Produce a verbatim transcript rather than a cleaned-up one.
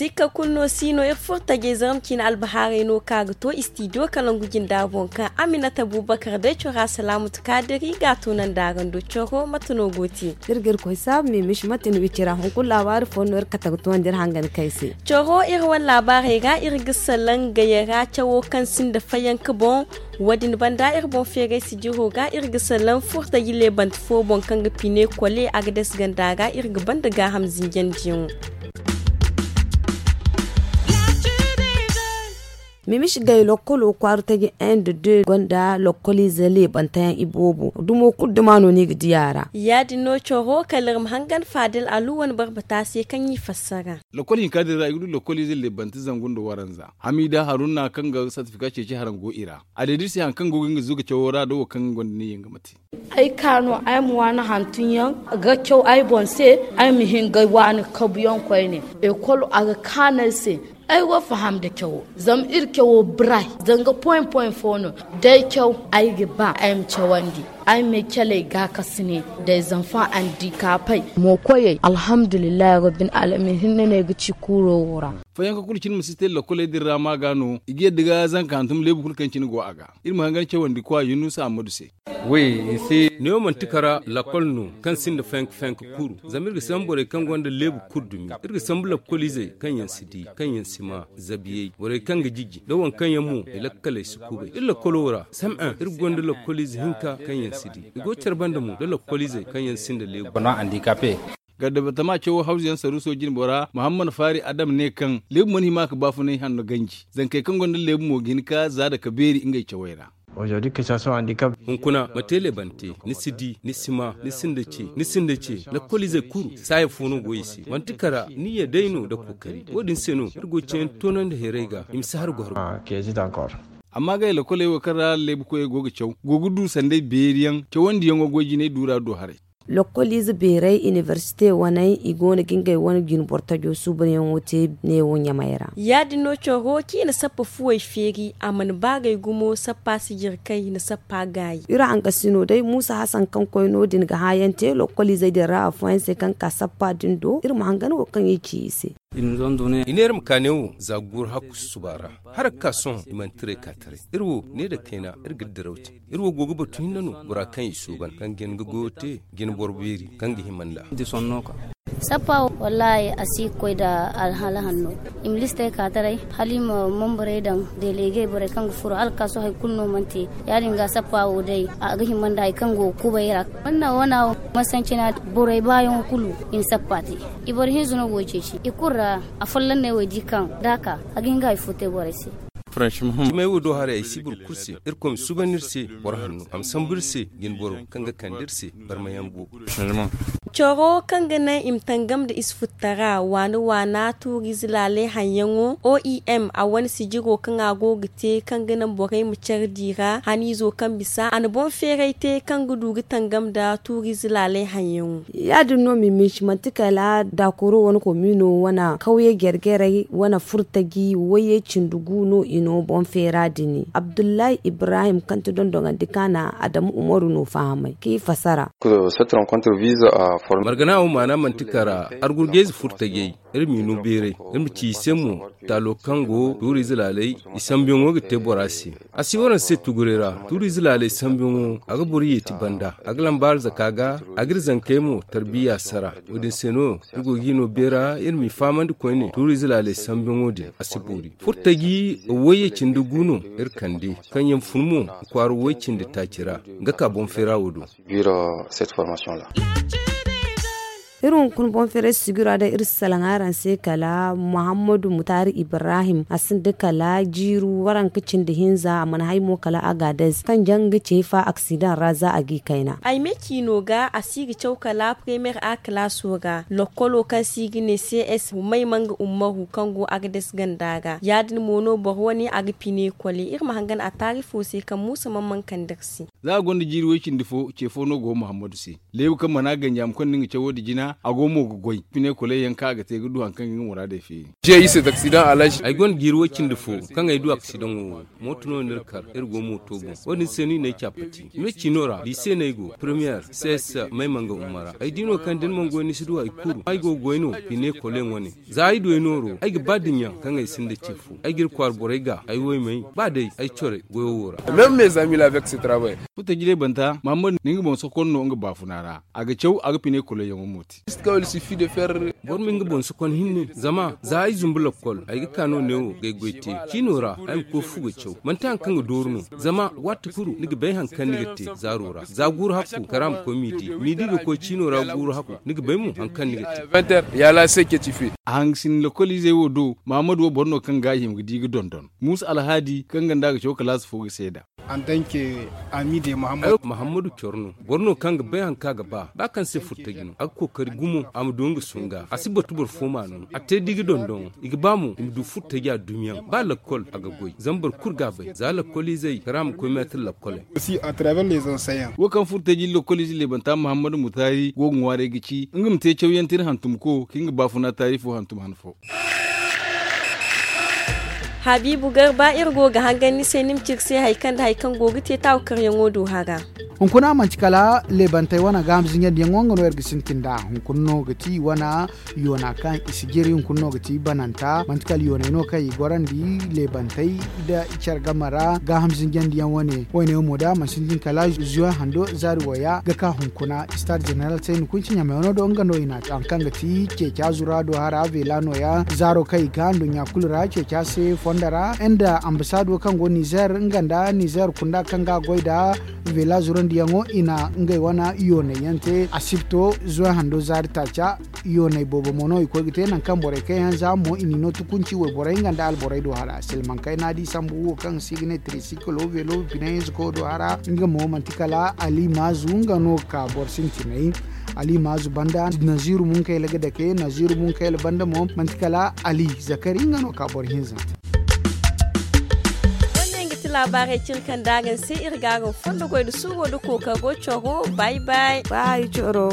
Iri ka kulu no si no iri furo tajey zarma ciine albahaarey no ka ga to istidiyo kalangu jinda boŋ kaŋ aminata bubakar day cora salaamatu kaadiri ga a to nanda araŋ do coro mate no go te. Iri ga iri koy saabu mimish mate no i cira hunkuna laabaari fo no iri kate ga toonandi iri hangan kay se. Coro iri wane laabaarey ra iri ga salaŋ gayara cawo kaŋ sinda fayanka boŋ. Wo- din banda iri boŋ feeray sijiro ga iri ga salaŋ furtaji leebante fo boŋ kaŋ ga pine kole a ga dasi ganda ra iri ga banda gaaham zinjandiyaŋo. Mimish gay lokkolo kwaara taji inde de gonda lokkoliize leebanteyaŋ iboobo dumo kulu duma no ni ga di a ra. Ya- din no coro kala iri ma hangan faadil alu wane barbata se kaŋ i fassara. Lokkol hinka din ra i ga du lokkoliize leebante zangu nda waranza hamiida haruna kaŋ ga sartifika ceeci haraŋ go i ra. A deediri se hari kaŋ go ga nga zuga cawo ra da wo kaŋ gonda ne yaŋ ga ma te. Ay ka no ay ma waani hantum yaŋ ga caw ay boŋ se. Ay ma hin ga waani kabu yaŋ koyne. Ekol a ga kaanu ay se. Ay go faham da cawo zama iri cawo biray. Zanga poin poin fo no day caw ay ga ba ay ma cawandi. Ay ma ay caley ga kasine day zanfa andikapey. Mo koyey alhamdulillahi rabbil alamin hinne no ay ga ci kuuro wo ra. Fayanka kulu cine ma si te lakoley din ra ma ga no i ga yadda ga zanka hantum leebu kulu kaŋ cine go a ga. Iri ma hangan cawandi kwa yunusa ammadu se. Neewo manti kara lakol no kaŋ sinda fenk fenk kuru. Zama iri ga sambu borey kaŋ gonda leebu kulu dumi. Iri ga sambu lakoliizey kaŋ yaŋ si di, kaŋ yaŋ si ma, zabiyey borey kaŋ ga jiji da waŋ kaŋ yaŋ mo i lakkaley si kubay iri lakolo ra sam'en iri gonda lakoliize hinka kaŋ yaŋ si di. I go care banda mo da lakoliizey kaŋ yaŋ sinda leebu. Gardabatama cawo hawzu yaŋ saruuso jinbora muhammad faari adam ne kaŋ leebu mana hima ka baafunay hanno ganji. Zankey kaŋ gonda leebu mo ga hin ka zaada ka beeri ngey cawey ra. Hunkuna ma te leebante, ni si di, ni si ma, ni sinda ce, ni sinda ce. Lakkoliizey kulu saaya fo no go i se manti kara niyya day no nda kookari wo- din se no iri go ga cawyaŋ toonandi hayray ga i ma si har goro. Amma gay lakoley wo kaŋ ra leebu koyey go ga caw go ga du sanday beeri yaŋ cawandiyaŋo goy jinay duura do haray. Lokkoliize beeray inibersite waney i go no ga ngey wane jinboro tajo suubanyaŋo te neewo ɲamey ra. Ya- din no coro kaŋ i na sappa fuwey feeri a mana baagay gumo sappa si jire kaŋ i na sappa gaayi. Iri hangasino day muusa hasan kaŋ koy no- din ga hãayaŋ te lokkoliizey din ra afooyaŋ se kaŋ ga ka sappa din do iri ma hangan wo kaŋ i ci i se. I neera ma ka neewo za ga guuru hakku susuba ra. Hala ga ka sohõ i mana tiray ka taray iri wo ne nda kayna iri ga diraw te. Iri wo go ga batu hinne no bora kaŋ i suuban kaŋ ga hin ga goyo te ga hin boro beeri kaŋ ga hima nd'a. Sappa wo wallaahi a si ga koy nda alhala hanno. I ma listey ka taray hala i ma manbarey daŋ delegey borey kaŋ ga furo hala ga ka sohõ hari kulu no mana te. Ya- din ga sappa wo day a ga hima nda hari kaŋ go ga kubay ra. Manna wana wo masancina borey baayaŋo kulu i na sappa te. I boro hinza no go ga ceeci i kulu ra. Afolloŋ ne wo ay di kaŋ da a ka a ga hin ga hari fo te borey se. Cimay wo do haray ay si boro kulu se. Irkoy ma suuban iri se boro hanno a ma sambu iri se jine boro kaŋ ga kande iri se. Barmayaŋ boobo. Coro kaŋ ga naŋ i ma tangam nda ize futtara waana waana tuuriize laalay haŋyaŋo oem a wane sijiro kaŋ a go ga te kaŋ ga naŋ borey ma care di ra haniizo kaŋ bisa a na boŋ feeray te kaŋ ga du ga tangam nda tuuriize laalay haŋyaŋo. Ya- din no miminci manti kala daakoro wane komiino wane kawye jare-jarey wane furtaji wayye cindi gu no i no boŋ feera din abdullahi ibrahim kaŋ ti dondoŋandi kaana adamu umaru no fahamay kaŋ i fasara. Margana wo maana manti kara argurgayze furtajey iri m'i no beeray iri ma ci i se mo taalo kaŋ go tuuriize laaley i sambuyaŋo ga te bora se. A si waraŋ se tuguray ra tuuriize laaley sambuyaŋo a ga boro yeeti banda a ga lamba arzaka ga a ga iri zankey mo tarbiya sara. Wo- din se no iri go g'i no beera iri m'i fahamandi koyne tuuriize laaley sambuyaŋo din a si boori furtaji wayye cindi gu no iri kande kaŋ yaŋ fun mo kwaara way cindi taaci ra. Nga ka boŋ feera wo do. Iri hunkuna boŋ feeray sijira day iri si salaŋ araŋ se kala muhammadu mutaari ibrahim a sinda kala jiiru waranka cindi hinza a mana hay mo kala agades kaŋ jaŋ ga ce fa aksidaŋ ra za a g'i kayna. Ay me ciino ga a si ga caw kala premier a kalaaso ga lokkolo kaŋ si ga ne cs humay manga ummaru kaŋ go agades ganda ga ya- din mo no boro wane a ga pine kole iri ma hangan a taarifo se kaŋ muusa man man kande iri se. Za a gonda jiiri way cindi fo ce fo no go muhammadu se. Leebu kaŋ mana ganji a ma konda nga cawo nda jina a go mo ga goy pine koley yaŋ kaŋ a ga te ga du hari kaŋ ga nga muraadey feeri. Ay gonda jiiri way cindi fo kaŋ ay du aksidaŋo wo. Mooto no no iri kar iri go mooto boŋ. Wo- din se no i n'ay caapati me ciino ra di se no ay go premiyer cs. May manga umma ra ay di no kaŋ da ni mana goy ni si du hari kulu ay go ga goy no pine koley wane. Za ay du ay nooro ay ga ba dinya kaŋ ay sinda ce fo ay ga iri kwaara borey ga ay wo ay may ba day ay corey goyo wo ra. Furtaji leebanta mahammadu na nga boŋ sokon no nga baafuna ra. A ga caw a ga pine koloyaŋo mo te. Boro ma nga boŋ sokon hinne zama za ay zumbu lakkol ay ga ka no neewo ga ay goy te. Ciino ra ay ma koy fu ga caw manti hari kaŋ ga dooru no. Zama waati kulu ni ga bay hari kaŋ ni ga te zaaro ra za guuru hakku kara ma koy miidi miidi ga koy ciino ra guuru hakku. Ni ga bay mo hari kaŋ ni ga te. A hangasin lakkol izey wo do mahammadu wo boro no kaŋ ga a hima ga di ga dondon muusa alhaadi kaŋ ganda ga caw kalaasi fo ga seeda. Muhammadu coro no boro no kaŋ ga bay hari kaŋ a ga ba ba kaŋ se furtaji no a ga kookari gumo a ma du nga sunga a si batu boro fo ma no a te da i ga dondon i ga ba mo i ma du furtaji a dumiyaŋ ba lakkol a ga goy zama boro kulu ga a bay za lakkol izey kara ma koy meetir lakkoley. Wo kaŋ furtaji lakkol ize leebanta muhammadu mutaari go ga ŋwaaray ga ci nga ma te cawyaŋ tira hantumko kaŋ nga baafuna taari fo hantum han fo. Habiibu garba iri go ga hangan ni se ni ma ci iri se hari kaŋ nda hari kaŋ go ga te taawakaryaŋo do hara. Hunkuna manti kala leebantey wane gaaham zinjandiyaŋo nga no iri ga sintin nd'a hunkuna no ga ti i wane yoona kaŋ i si jiri hunkuna no ga ti bananta manti kala yooney no kaŋ i gorandi leebantey nda i care game ra gaaham zinjandiyaŋ wane. Wayne wo mo da a mana sintin kala zuwe hando zaari waya ga ka hunkuna stade general se ni kunci ɲamay wano do nga no i na a te hari kaŋ ga ti ceeci azu ra do hara veela nooya zaaro kaŋ i ga nduɲɲa kulu ra ceeci a se fondo ra nda ambasaado kaŋ go nizer nga nda nizer kunda kaŋ ga a goy nda veela zurandiyaŋo i na ngey wane yooney yaŋ te asibto zuwe hando zaari taaca. Yooney boobo mo no i koy ga te nangu kaŋ borey kaŋ yaŋ za mo i n'i no tukunci wayborey nga nda alborey do hara silmaŋ kayna di sambu wo kaŋ se i ga ne trisikilo veelo bine hinza koyo do hara nga mo manti kala ali maazu nga no ga ka boro sintinay. Ali maazu banda naziru munkayla ga dake naziru munkayla banda mo manti kala ali zakari nga no ga ka boro hinza. Wo- ne nga ti laabaarey cine kaŋ da araŋ se iri ga araŋ fondo goy nda suuro nda kookaro coro. Bay bay. Bay coro.